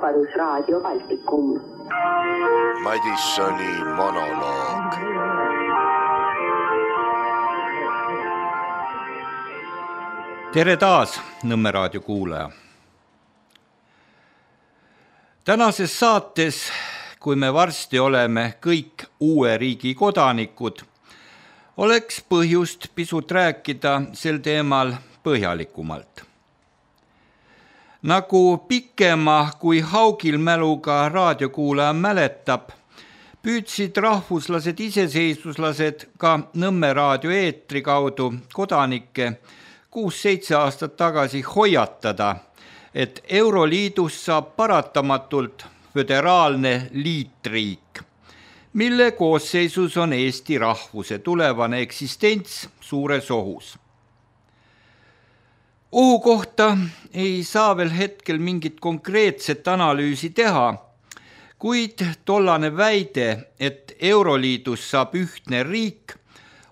Vabadusraadio Baltikum. Madissoni monoloog. Tere taas, Nõmme raadio kuulaja. Tänases saates, kui me varsti oleme kõik uue riigi kodanikud, oleks põhjust pisut rääkida sel teemal põhjalikumalt. Nagu pikema kui haugilmäluga raadiokuulaja mäletab, püüdsid rahvuslased iseseisvuslased ka Nõmme raadio eetri kaudu kodanikke 6-7 aastat tagasi hoiatada, et Euroliidus saab paratamatult föderaalne liitriik, mille koosseisus on Eesti rahvuse tulevane eksistents suures ohus. Ohu kohta ei saa veel hetkel mingit konkreetset analüüsi teha, kuid tollane väide, et Euroliidus saab ühtne riik,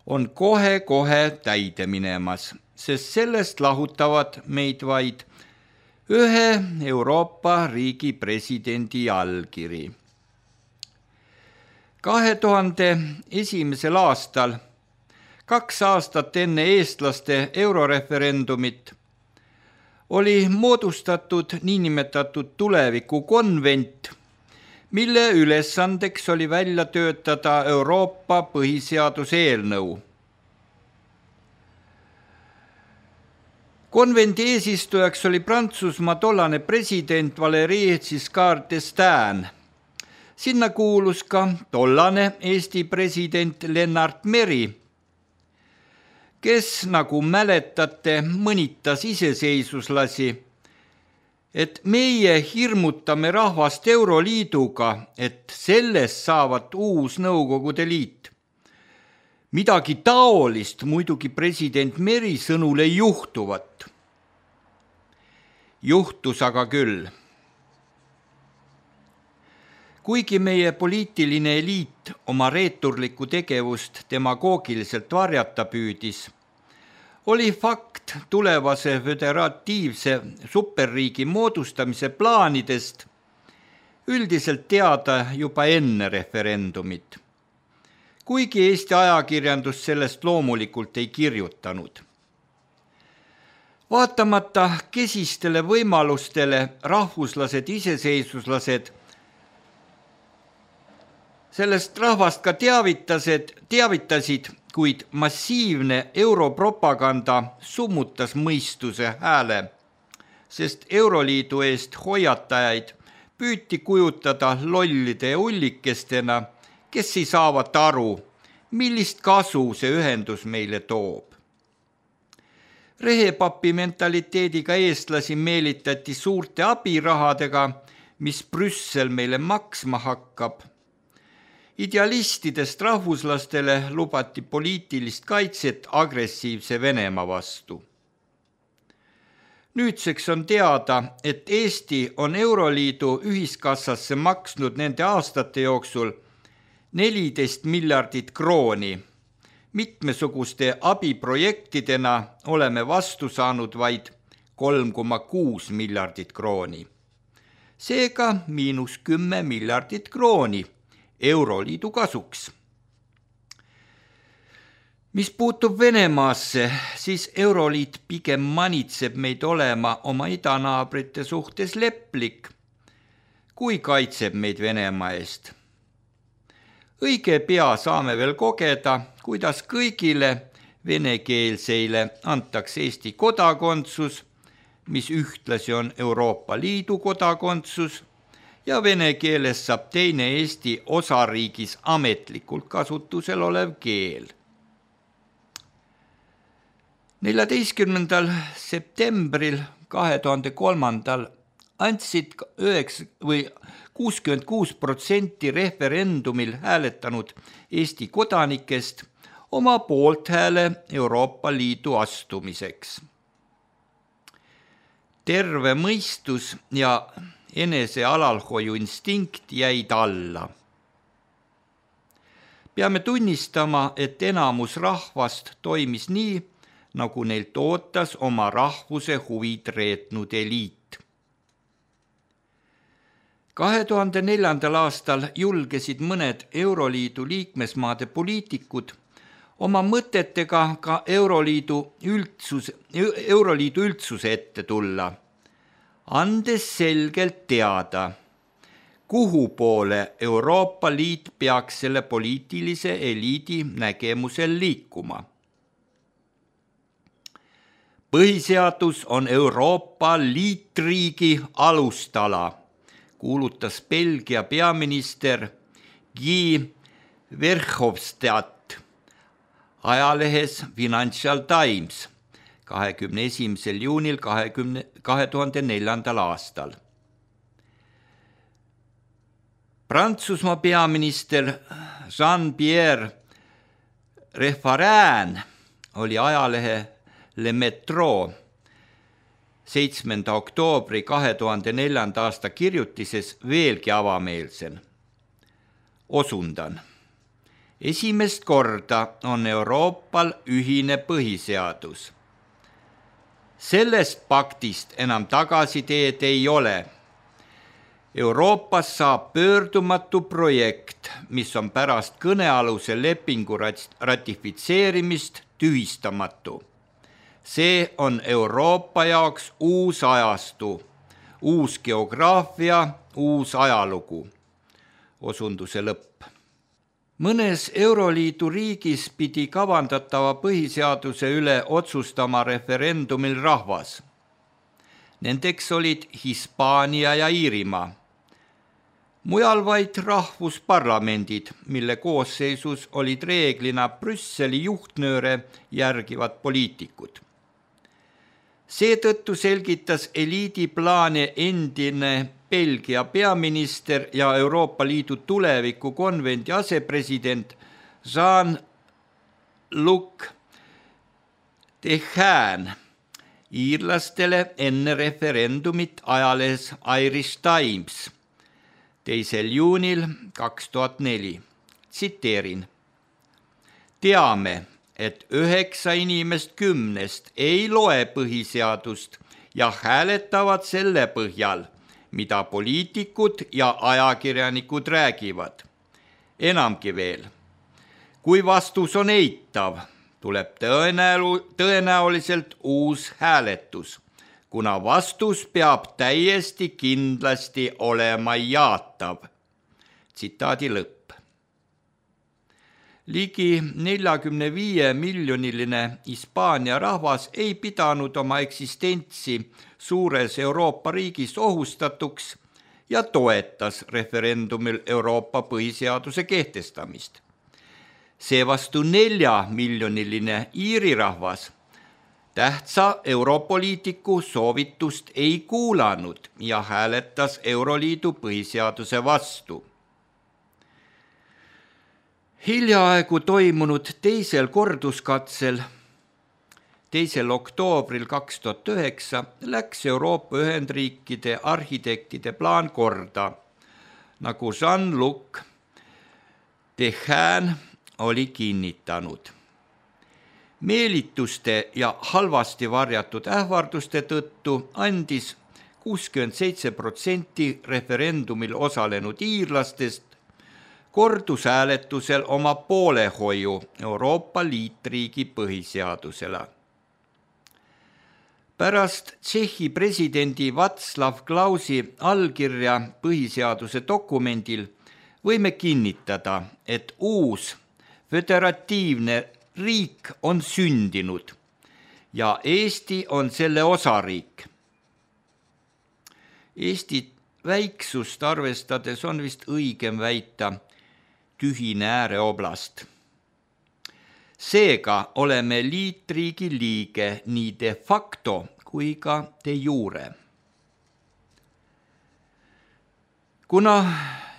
on kohe täide minemas, sest sellest lahutavad meid vaid ühe Euroopa riigi presidendi allkiri. 2001. aastal, 2 aastat enne eestlaste euroreferendumit, oli moodustatud niinimetatud tulevikukonvent, mille ülesandeks oli välja töötada Euroopa põhiseaduse eelnõu. Konvendi eesistujaks oli Prantsusmaa tollane president Valéry Giscard d'Estaing. Sinna kuulus ka tollane Eesti president Lennart Meri, kes, nagu mäletate, mõnitas iseseisvuslasi, et meie hirmutame rahvast Euroliiduga, et sellest saavat uus Nõukogude Liit. Midagi taolist muidugi president Meri sõnul ei juhtuvat. Juhtus aga küll. Kuigi meie poliitiline eliit oma reeturlikku tegevust demagoogiliselt varjata püüdis, oli fakt tulevase föderatiivse superriigi moodustamise plaanidest üldiselt teada juba enne referendumit, kuigi Eesti ajakirjandus sellest loomulikult ei kirjutanud. Vaatamata kesistele võimalustele rahvuslased iseseisvuslased sellest rahvast ka teavitasid, kuid massiivne europropaganda summutas mõistuse hääle, sest Euroliidu eest hoiatajaid püüti kujutada lollide ja ullikestena, kes ei saavat aru, millist kasu see ühendus meile toob. Rehepapi mentaliteediga eestlasi meelitati suurte abirahadega, mis Brüssel meile maksma hakkab. Idealistidest rahvuslastele lubati poliitilist kaitset agressiivse Venemaa vastu. Nüüdseks on teada, et Eesti on Euroliidu ühiskassasse maksnud nende aastate jooksul 14 miljardit krooni. Mitmesuguste abiprojektidena oleme vastu saanud vaid 3,6 miljardit krooni. Seega -10 miljardit krooni Euroliidu kasuks. Mis puutub Venemaasse, siis Euroliit pigem manitseb meid olema oma idanaabrite suhtes leplik, kui kaitseb meid Venemaa eest. Õige pea saame veel kogeda, kuidas kõigile venekeelseile antakse Eesti kodakondsus, mis ühtlasi on Euroopa Liidu kodakondsus, ja vene keeles saab teine Eesti osariigis ametlikult kasutusel olev keel. 14. septembril 2003 andsid 66% referendumil hääletanud Eesti kodanikest oma poolthääle Euroopa Liidu astumiseks. Terve mõistus ja enese alalhoiu instinkt jäid alla. Peame tunnistama, et enamus rahvast toimis nii, nagu neilt ootas oma rahvuse huvid reetnud eliit. 2004. aastal julgesid mõned Euroliidu liikmesmaade poliitikud oma mõtetega ka Euroliidu üldsuse ette tulla, andes selgelt teada, kuhu poole Euroopa Liit peaks selle poliitilise eliidi nägemusel liikuma. Põhiseadus on Euroopa Liitriigi alustala, kuulutas Belgia peaminister Guy Verhofstadt ajalehes Financial Times 21. juunil 2004. aastal. Prantsusmaa peaminister Jean-Pierre Raffarin oli ajalehe Le Metro 7. oktoobri 2004. aasta kirjutises veelgi avameelsem. Osundan. Esimest korda on Euroopal ühine põhiseadus. Sellest paktist enam tagasiteed ei ole. Euroopas saab pöördumatu projekt, mis on pärast kõnealuse lepingu ratifitseerimist tühistamatu. See on Euroopa jaoks uus ajastu, uus geograafia, uus ajalugu. Osunduse lõpp. Mõnes Euroliidu riigis pidi kavandatava põhiseaduse üle otsustama referendumil rahvas. Nendeks olid Hispaania ja Iirimaa. Mujal vaid rahvusparlamendid, mille koosseisus olid reeglina Brüsseli juhtnööre järgivad poliitikud. Seetõttu selgitas eliidi plaane endine Belgia peaminister ja Euroopa Liidu tuleviku konvendi asepresident Jean-Luc Dehaene iirlastele enne referendumit ajalehes Irish Times 2. juunil 2004. Tsiteerin. Teame, et 9 inimest 10 ei loe põhiseadust ja hääletavad selle põhjal, mida poliitikud ja ajakirjanikud räägivad. Enamgi veel, kui vastus on eitav, tuleb tõenäoliselt uus hääletus, kuna vastus peab täiesti kindlasti olema jaatav. Tsitaadi lõpp. Ligi 45 miljoniline Hispaania rahvas ei pidanud oma eksistentsi suures Euroopa riigis ohustatuks ja toetas referendumil Euroopa põhiseaduse kehtestamist. Seevastu 4 miljoniline Iiri rahvas tähtsa europoliitiku soovitust ei kuulanud ja hääletas Euroliidu põhiseaduse vastu. Hiljaaegu toimunud teisel korduskatsel 2. oktoobril 2009 läks Euroopa Ühendriikide arhitektide plaan korda, nagu Jean-Luc Dehaene oli kinnitanud. Meelituste ja halvasti varjatud ähvarduste tõttu andis 67% referendumil osalenud iirlastest kordushääletusel oma poolehoiu Euroopa Liitriigi põhiseadusele. Pärast Tšehhi presidendi Václav Klausi allkirja põhiseaduse dokumendil võime kinnitada, et uus föderatiivne riik on sündinud ja Eesti on selle osariik. Eesti väiksust arvestades on vist õigem väita tühine ääreoblast. Seega oleme liitriigi liige nii de facto kui ka de jure. Kuna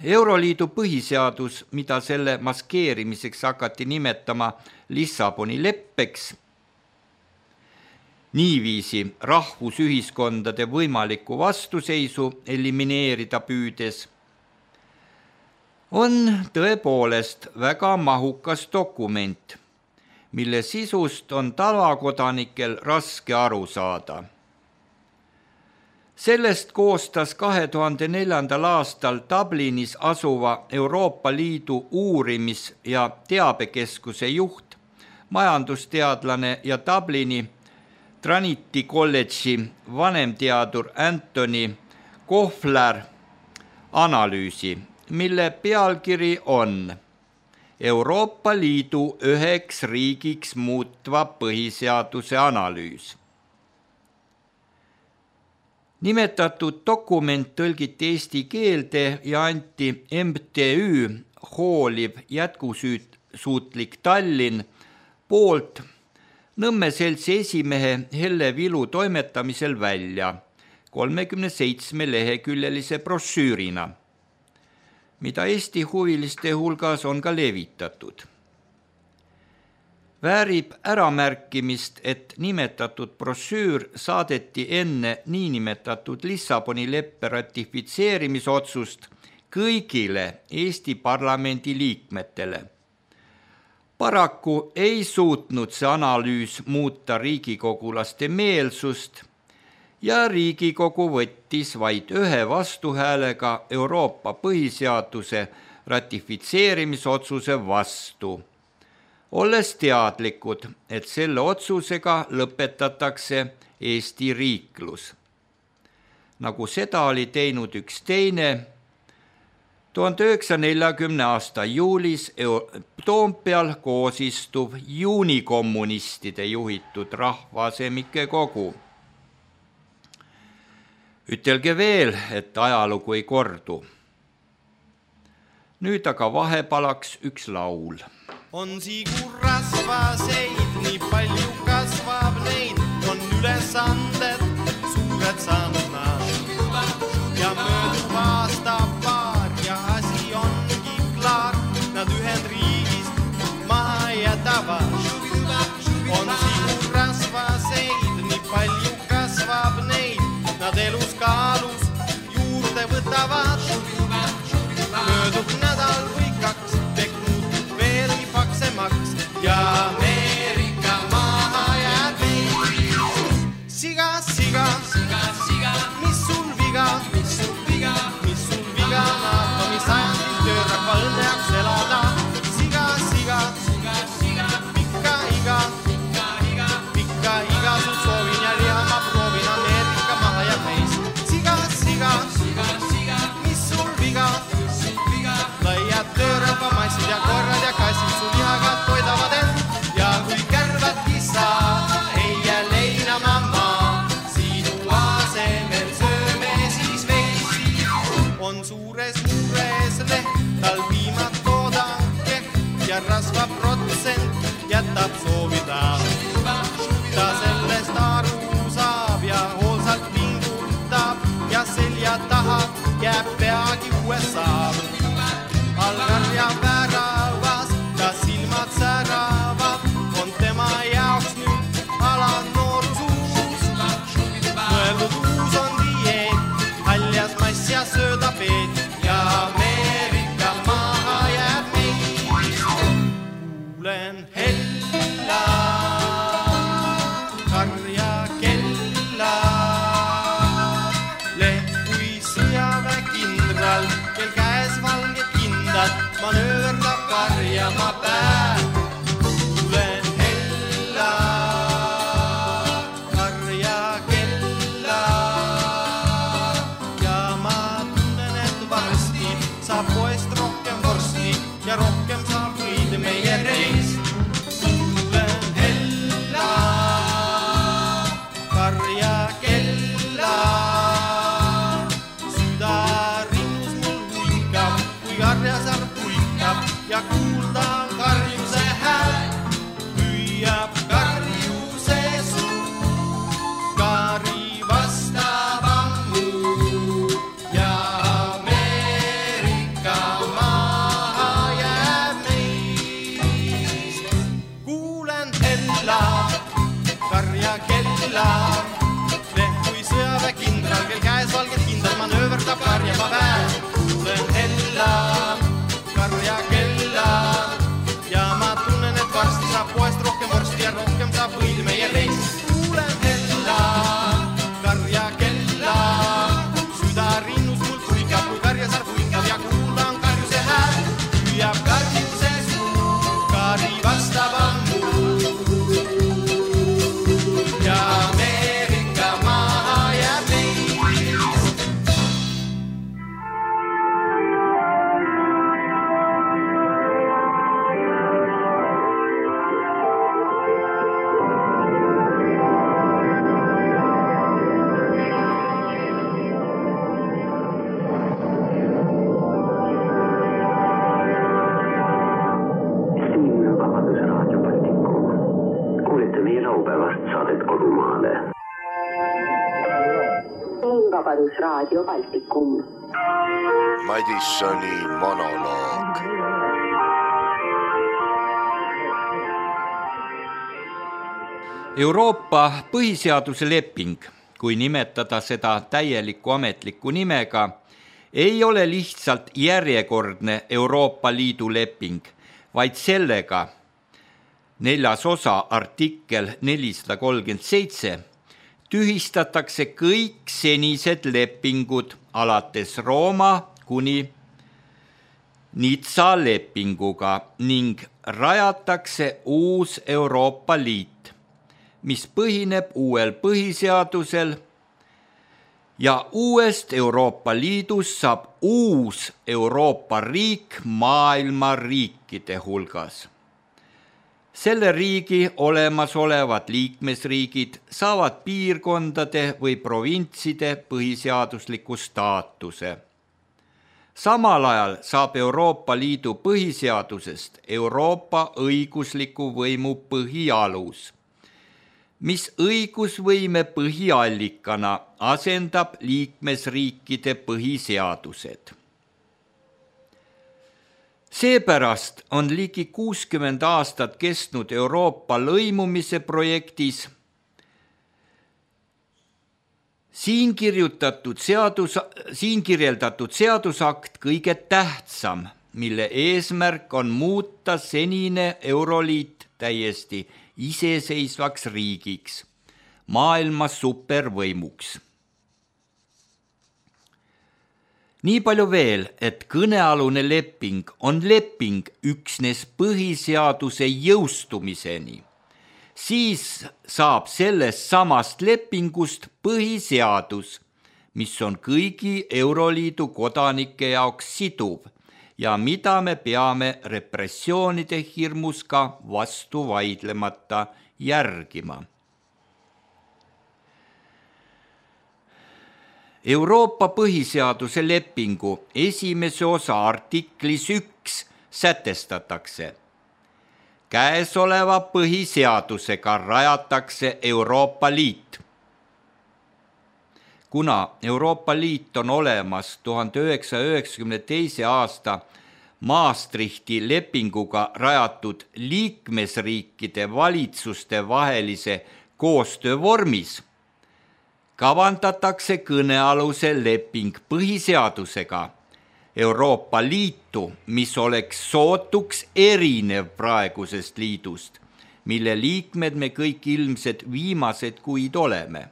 Euroliidu põhiseadus, mida selle maskeerimiseks hakati nimetama Lissaboni leppeks, niiviisi rahvusühiskondade võimalikku vastuseisu elimineerida püüdes, on tõepoolest väga mahukas dokument, mille sisust on tavakodanikel raske aru saada. Sellest koostas 2004. aastal Dublinis asuva Euroopa Liidu uurimis- ja teabekeskuse juht, majandusteadlane ja Dublini Trinity kolledži vanemteadur Anthony Kohler analüüsi, mille pealkiri on Euroopa Liidu 9 riigiks muutva põhiseaduse analüüs. Nimetatud dokument tõlgiti eesti keelde ja anti MTÜ Hooliv jätkusuutlik Tallinn poolt Nõmme seltsi esimehe Helle Vilu toimetamisel välja 37-leheküljelise brošüürina, mida Eesti huviliste hulgas on ka levitatud. Väärib äramärkimist, et nimetatud brošüür saadeti enne niinimetatud Lissaboni leppe ratifitseerimisotsust kõigile Eesti parlamendi liikmetele. Paraku ei suutnud see analüüs muuta riigikogulaste meelsust ja Riigikogu võttis vaid 1 vastuhäälega Euroopa põhiseaduse ratifitseerimisotsuse vastu, olles teadlikud, et selle otsusega lõpetatakse Eesti riiklus. Nagu seda oli teinud üks teine 1940. aasta juulis Toompeal koos istuv juunikommunistide juhitud rahvasemike kogu. Ütelge veel, et ajalugu ei kordu. Nüüd aga vahepalaks üks laul. On siigur rasvaseid, nii palju kasvab neid, on ülesanded suured saanud nad. Ja möödub aasta paar ja asi ongi klaar, nad Ühendriigist maha jätavad. On siigur rasvaseid, nii palju kasvab neid, nad elus kaalus juurde võtavad. Möödub nädal või 2, teknud veelgi paksemaks ja Ameerika maha jääb meid. Siga, siga, siga, siga, mis sul viga, mis sul viga, mis sul viga, naatomi sajandil töörahva õnneaks elada. Siga, siga, siga, siga, pikka iga, pikka iga, sul soovin ja liha ma proovin, Ameerika maha jääb meis. Siga, siga, siga, siga, mis sul viga, laiad töörahva massid ja korrad ja kassid su lihaga toidavad end. Ja kui kärvadki saa, ei jää leinama maa, sinu asemel sööme siis veisi. On suures mures leht, tal viimad toodanke ja rasvaprotsent jätab soovida. Ta sellest aru saab ja hoolsalt pingutab ja selja taha jääb peagi USA. Algar ja väravas, ta silmad säravad, on tema jaoks nüüd ala noorus uus. Mõeldud uus on dieet, haljas mass ja sööda peet ja Ameerika maha jääb meid. Kuulen hella, karja kella, leht kui sõjaväekindral, kel käes valge manööverdab karjama päev. Kuulen hella, karja kella ja ma tunnen, et varsti saab poest rohkem vorsti ja rohkem saab võid meie reis. Kuulen hella, karja kella, süda rinnus mul huikab, kui karjasar puikab kodumaale. Vabadusraadio Baltikum. Madissoni monoloog. Euroopa põhiseaduse leping, kui nimetada seda täieliku ametliku nimega, ei ole lihtsalt järjekordne Euroopa Liidu leping, vaid sellega 4. osa artikkel 437 tühistatakse kõik senised lepingud alates Rooma kuni Nizza lepinguga ning rajatakse uus Euroopa Liit, mis põhineb uuel põhiseadusel ja uuest Euroopa Liidust saab uus Euroopa riik maailma riikide hulgas. Selle riigi olemasolevad liikmesriigid saavad piirkondade või provintside põhiseadusliku staatuse. Samal ajal saab Euroopa Liidu põhiseadusest Euroopa õigusliku võimu põhialus, mis õigusvõime põhiallikana asendab liikmesriikide põhiseadused. Seepärast on ligi 60 aastat kestnud Euroopa lõimumise projektis siin kirjeldatud seadusakt kõige tähtsam, mille eesmärk on muuta senine Euroliit täiesti iseseisvaks riigiks, maailma supervõimuks. Nii palju veel, et kõnealune leping on leping üksnes põhiseaduse jõustumiseni. Siis saab sellest samast lepingust põhiseadus, mis on kõigi Euroliidu kodanike jaoks siduv ja mida me peame repressioonide hirmus ka vastu vaidlemata järgima. Euroopa põhiseaduse lepingu 1. osa artiklis 1 sätestatakse. Käesoleva põhiseadusega rajatakse Euroopa Liit. Kuna Euroopa Liit on olemas 1992. aasta Maastrichti lepinguga rajatud liikmesriikide valitsuste vahelise koostöö vormis, kavandatakse kõnealuse leping põhiseadusega Euroopa Liitu, mis oleks sootuks erinev praegusest liidust, mille liikmed me kõik ilmselt viimased kuid oleme.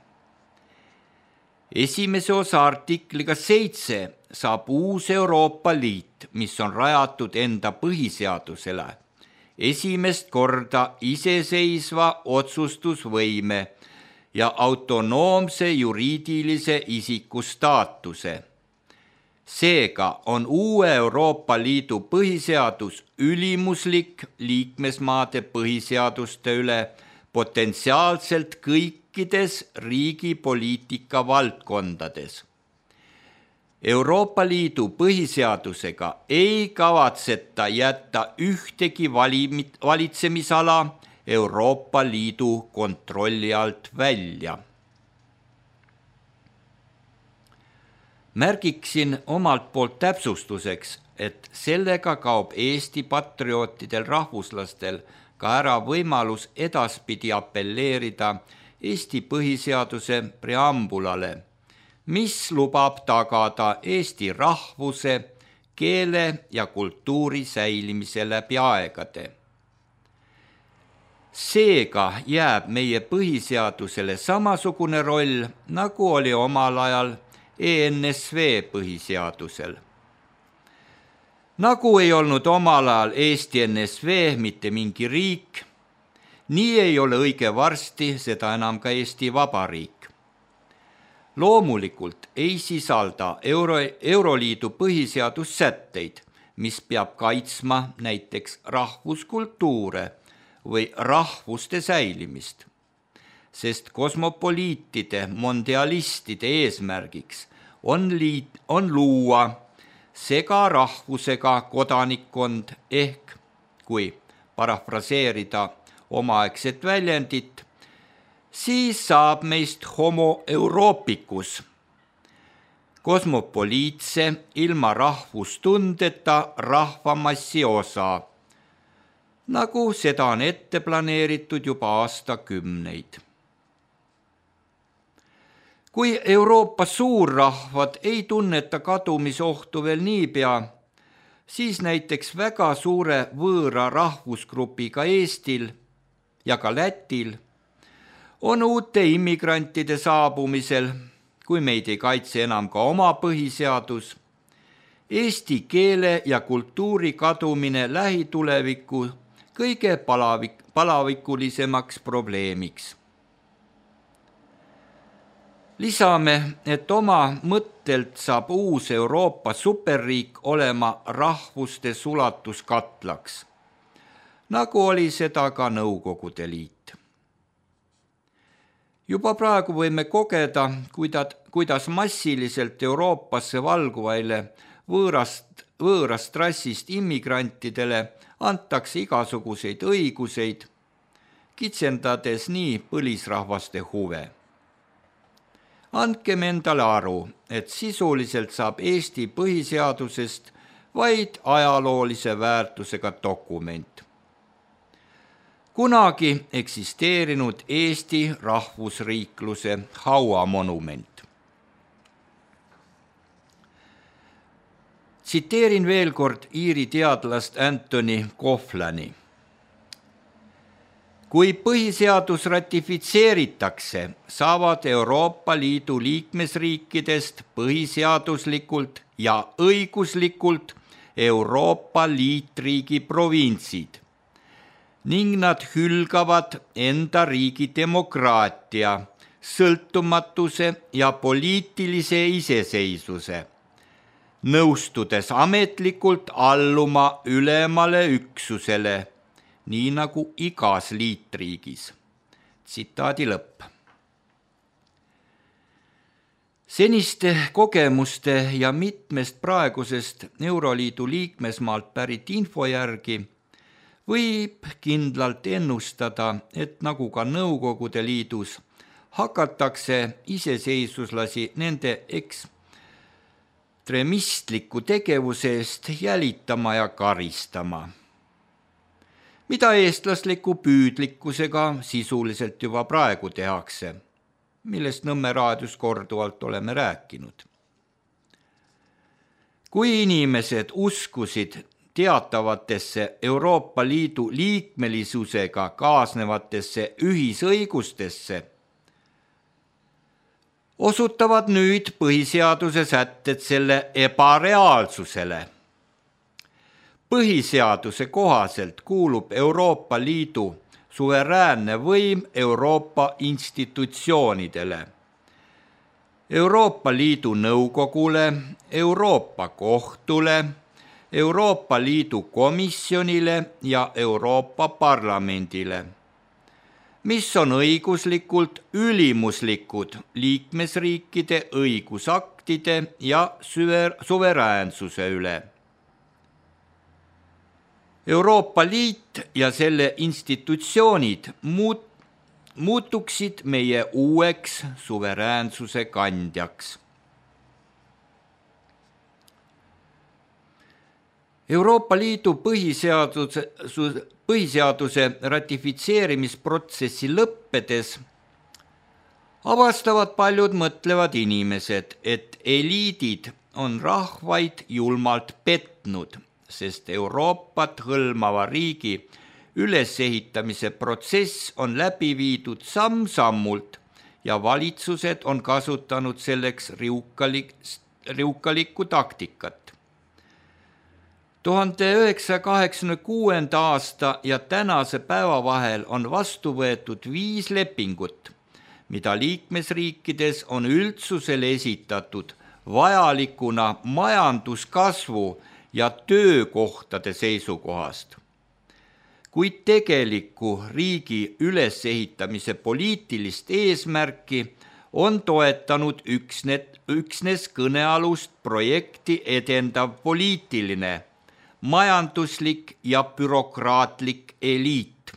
1. osa artikliga 7 saab uus Euroopa Liit, mis on rajatud enda põhiseadusele, esimest korda iseseisva otsustusvõime ja autonoomse juriidilise isiku staatuse. Seega on uue Euroopa Liidu põhiseadus ülimuslik liikmesmaade põhiseaduste üle potentsiaalselt kõikides riigipoliitika valdkondades. Euroopa Liidu põhiseadusega ei kavatseta jätta ühtegi valitsemisala Euroopa Liidu kontrolli alt välja. Märgiksin omalt poolt täpsustuseks, et sellega kaob Eesti patriootidel rahvuslastel ka ära võimalus edaspidi apelleerida Eesti põhiseaduse preambulale, mis lubab tagada Eesti rahvuse, keele ja kultuuri säilimise läbi aegade. Seega jääb meie põhiseadusele samasugune roll, nagu oli omal ajal ENSV põhiseadusel. Nagu ei olnud omal ajal Eesti NSV mitte mingi riik, nii ei ole õige varsti seda enam ka Eesti Vabariik. Loomulikult ei sisalda Euroliidu põhiseadus sätteid, mis peab kaitsma näiteks rahvuskultuure või rahvuste säilimist, sest kosmopoliitide, mondialistide eesmärgiks on luua segarahvusega kodanikkond kui parafraseerida omaaegset väljendit, siis saab meist homo europicus, kosmopoliitse, ilma rahvustundeta rahvamassi osa, nagu seda on ette planeeritud juba aastakümneid. Kui Euroopa suurrahvad ei tunneta kadumisohtu veel niipea, siis näiteks väga suure võõra rahvusgrupiga Eestil ja ka Lätil on uute immigrantide saabumisel, kui meid ei kaitse enam ka oma põhiseadus, eesti keele ja kultuuri kadumine lähituleviku kõige palavikulisemaks probleemiks. Lisame, et oma mõttelt saab uus Euroopa superriik olema rahvuste sulatuskatlaks, nagu oli seda ka Nõukogude Liit. Juba praegu võime kogeda, kuidas massiliselt Euroopasse valguvaile võõrast rassist immigrantidele antakse igasuguseid õiguseid, kitsendades nii põlisrahvaste huve. Andkem endale aru, et sisuliselt saab Eesti põhiseadusest vaid ajaloolise väärtusega dokument. Kunagi eksisteerinud Eesti rahvusriikluse hauamonument. Tsiteerin veel kord Iiri teadlast Anthony Coughlani. Kui põhiseadus ratifitseeritakse, saavad Euroopa Liidu liikmesriikidest põhiseaduslikult ja õiguslikult Euroopa Liitriigi provintsid ning nad hülgavad enda riigi demokraatia, sõltumatuse ja poliitilise iseseisvuse, nõustudes ametlikult alluma ülemale üksusele, nii nagu igas liitriigis. Tsitaadi lõpp. Seniste kogemuste ja mitmest praegusest Euroliidu liikmesmaalt pärit info järgi võib kindlalt ennustada, et nagu ka Nõukogude Liidus hakatakse iseseisvuslasi nende ekstremistliku tegevuse eest jälitama ja karistama, mida eestlasliku püüdlikkusega sisuliselt juba praegu tehakse, millest Nõmme raadios korduvalt oleme rääkinud. Kui inimesed uskusid teatavatesse Euroopa Liidu liikmelisusega kaasnevatesse ühisõigustesse, osutavad nüüd põhiseaduse sätted selle ebareaalsusele. Põhiseaduse kohaselt kuulub Euroopa Liidu suveräänne võim Euroopa institutsioonidele, Euroopa Liidu Nõukogule, Euroopa Kohtule, Euroopa Liidu Komisjonile ja Euroopa Parlamendile, mis on õiguslikult ülimuslikud liikmesriikide õigusaktide ja suveräänsuse üle. Euroopa Liit ja selle institutsioonid muutuksid meie uueks suveräänsuse kandjaks. Euroopa Liidu põhiseaduse ratifitseerimisprotsessi lõppedes avastavad paljud mõtlevad inimesed, et eliidid on rahvaid julmalt petnud, sest Euroopat hõlmava riigi ülesehitamise protsess on läbi viidud samm-sammult ja valitsused on kasutanud selleks riukalikku taktikat. 1986. aasta ja tänase päeva vahel on vastu võetud 5 lepingut, mida liikmesriikides on üldsusele esitatud vajalikuna majanduskasvu ja töökohtade seisukohast. Kuid tegelikku riigi ülesehitamise poliitilist eesmärki on toetanud üksnes kõnealust projekti edendav poliitiline, majanduslik ja bürokraatlik eliit.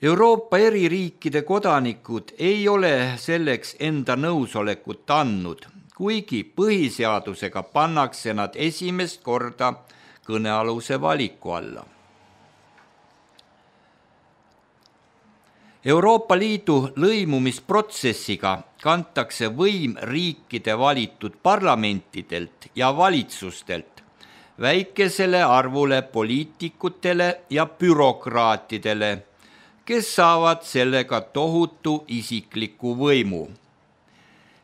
Euroopa eri riikide kodanikud ei ole selleks enda nõusolekut andnud, kuigi põhiseadusega pannakse nad esimest korda kõnealuse valiku alla. Euroopa Liidu lõimumisprotsessiga kantakse võim riikide valitud parlamentidelt ja valitsustelt väikesele arvule poliitikutele ja bürokraatidele, kes saavad sellega tohutu isikliku võimu.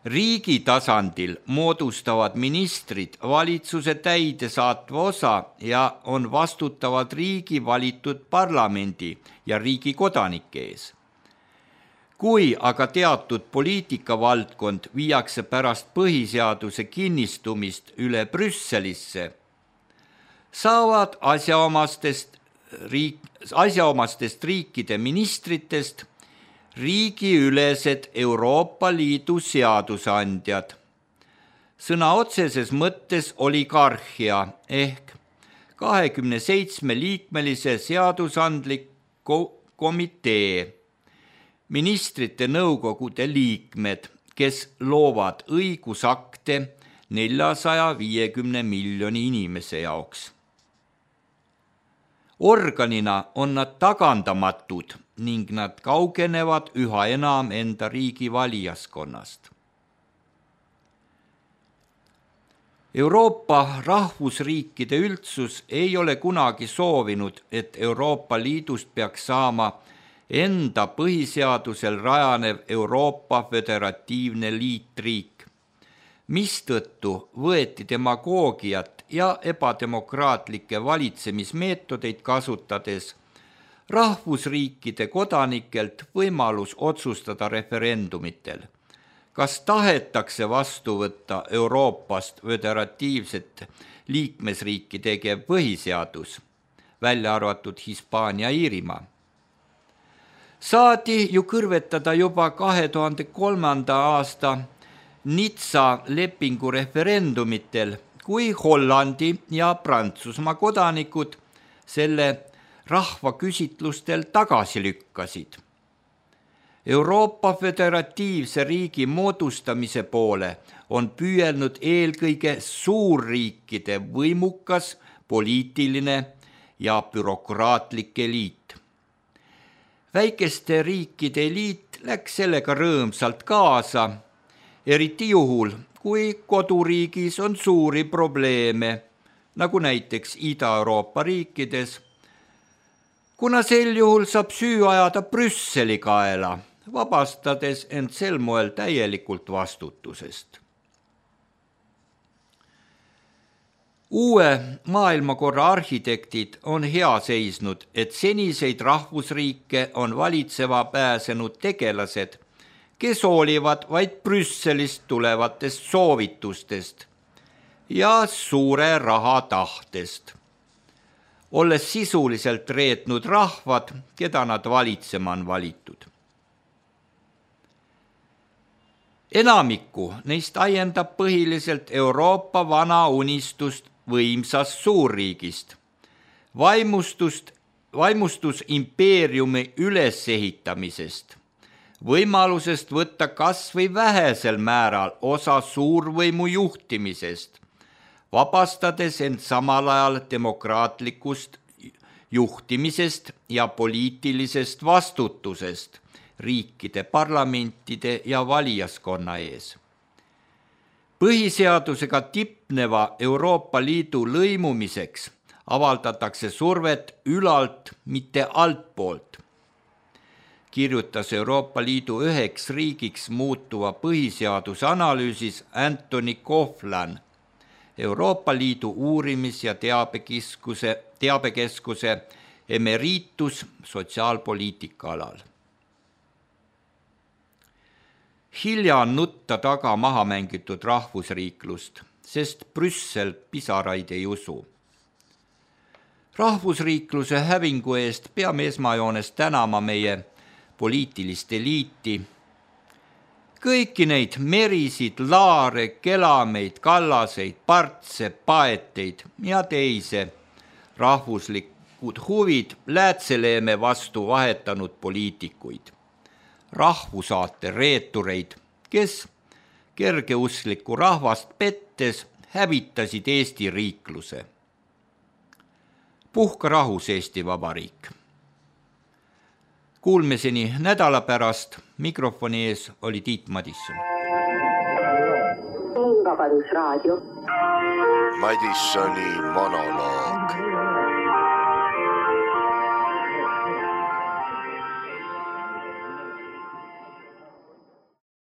Riigi tasandil moodustavad ministrid valitsuse täidesaatva osa ja on vastutavad riigi valitud parlamendi ja riigi kodanike ees. Kui aga teatud poliitikavaldkond viiakse pärast põhiseaduse kinnistumist üle Brüsselisse, saavad asjaomastest riikide ministritest riigiülesed Euroopa Liidu seadusandjad. Sõna otseses mõttes oligarhia ehk 27-liikmelise seadusandlik komitee, ministrite nõukogude liikmed, kes loovad õigusakte 450 miljoni inimese jaoks. Organina on nad tagandamatud ning nad kaugenevad üha enam enda riigi valijaskonnast. Euroopa rahvusriikide üldsus ei ole kunagi soovinud, et Euroopa Liidust peaks saama enda põhiseadusel rajanev Euroopa föderatiivne liitriik, mistõttu võeti demagoogiat ja ebademokraatlikke valitsemismeetodeid kasutades rahvusriikide kodanikelt võimalus otsustada referendumitel, kas tahetakse vastu võtta Euroopast föderatiivset liikmesriiki tegev põhiseadus, välja arvatud Hispaania ja Iirimaa. Saadi ju kõrvetada juba 2003. aasta Nizza lepingu referendumitel, kui Hollandi ja Prantsusmaa kodanikud selle rahvaküsitlustel tagasi lükkasid. Euroopa föderatiivse riigi moodustamise poole on püüelnud eelkõige suurriikide võimukas poliitiline ja bürokraatlik eliit. Väikeste riikide eliit läks sellega rõõmsalt kaasa, eriti juhul, kui koduriigis on suuri probleeme, nagu näiteks Ida-Euroopa riikides, kuna sel juhul saab süü ajada Brüsseli kaela, vabastades end sel moel täielikult vastutusest. Uue maailmakorra arhitektid on hea seisnud, et seniseid rahvusriike on valitsema pääsenud tegelased, kes hoolivad vaid Brüsselist tulevatest soovitustest ja suure raha tahtest, olles sisuliselt reetnud rahvad, keda nad valitsema on valitud. Enamikku neist aiendab põhiliselt Euroopa vana unistust võimsast suurriigist, vaimustus impeeriumi ülesehitamisest, võimalusest võtta kas või vähesel määral osa suurvõimu juhtimisest, vabastades end samal ajal demokraatlikust juhtimisest ja poliitilisest vastutusest riikide parlamentide ja valijaskonna ees. Põhiseadusega tipneva Euroopa Liidu lõimumiseks avaldatakse survet ülalt, mitte altpoolt, kirjutas Euroopa Liidu üheks riigiks muutuva põhiseaduse analüüsis Anthony Coughlin Euroopa Liidu uurimis- ja teabekeskuse emeritus sotsiaalpoliitika alal. Hilja on nutta taga maha mängitud rahvusriiklust, sest Brüssel pisaraid ei usu. Rahvusriikluse hävingu eest peame esmajoones tänama meie poliitilist eliiti, kõiki neid merisid, laare, kelameid, kallaseid, partse, paeteid ja teise rahvuslikku riiklikud huvid Läätseleeme vastu vahetanud poliitikuid, rahvusaate reetureid, kes kergeusklikku rahvast pettes hävitasid Eesti riikluse. Puhka rahus Eesti Vabariik. Kuulmiseni nädala pärast. Mikrofoni ees oli Tiit Madisson. Vabadusraadio. Madissoni monoloog.